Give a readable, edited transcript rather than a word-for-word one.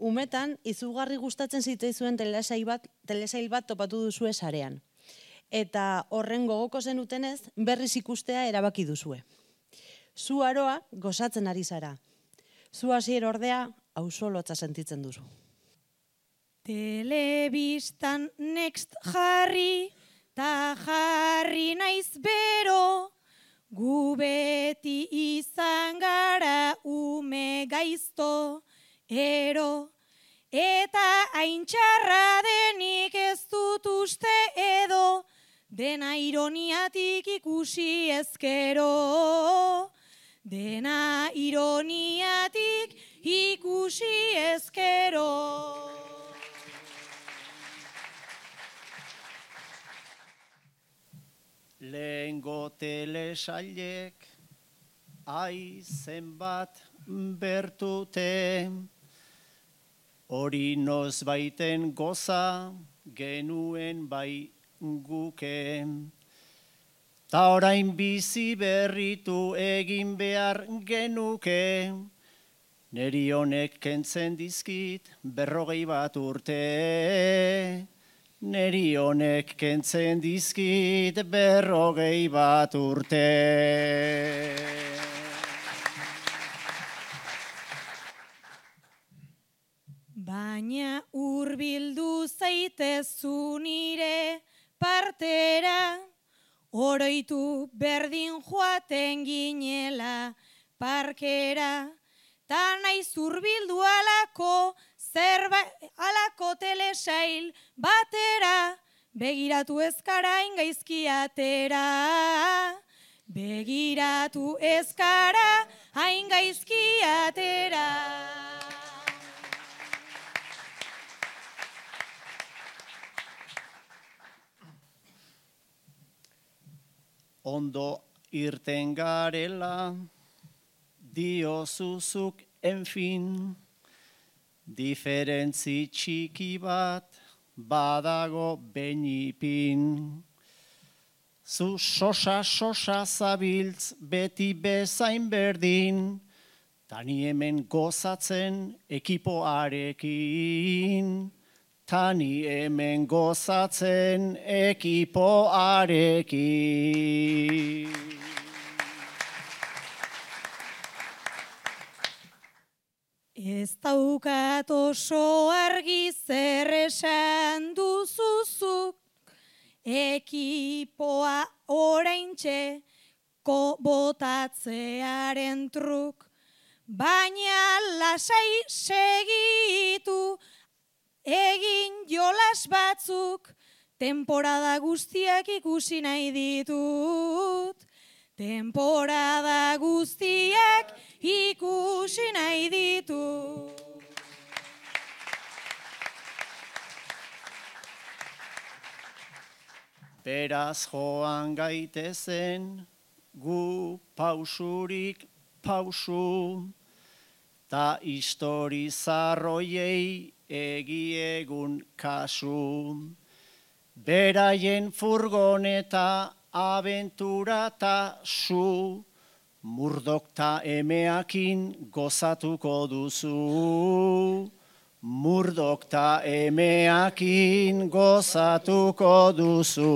umetan izugarri gustatzen zitzaizuen telesail bat topatu duzue sarean. Eta horren gogoko zenutenez, berriz ikustea erabaki duzue. Zu aroa gozatzen ari zara. Zu hasier ordea ausolotza sentitzen duzu. Telebistan next jarri, ta jarri naiz bero, gu beti izan gara ume gaizto, ero. Eta haintxarra denik ez dut uste edo, dena ironiatik ikusi ezkero. Dena ironiatik ikusi ezkero. Lehengo telesailek, ai zenbat bertute, hori noz baiten goza genuen bai guke. Ta orain bizi berritu egin behar genuke, neri honek kentzen dizkit 40 urte. Neri honek kentzen dizkit 40 urte. Baina hurbildu zaitezu nire partera, oroitu berdin joaten ginela parkera, ta naiz hurbildu alako telesail batera, begiratu ezkara ingaizki atera. Begiratu ezkara haingaizki atera. Ondo irten garela, diozuzuk enfin, diferentzi txiki bat badago benipin. Zu sosa zabiltz beti bezain berdin, tani hemen gozatzen ekipoarekin. Tani hemen gozatzen ekipoarekin. Ez daukat oso argi zer esan duzuzuk, ekipoa oraintxe botatzearen truk, baina lasai segitu egin jolas batzuk, temporada guztiak ikusi nahi ditut. Temporada guztiak ikusi nahi ditut. Beraz joan gaitezen, gu pausurik pausu, ta historizarroiei egiegun kasu. Beraien furgoneta abentura ta su, Murdok ta emeakin gozatuko duzu. Murdok ta emeakin gozatuko duzu.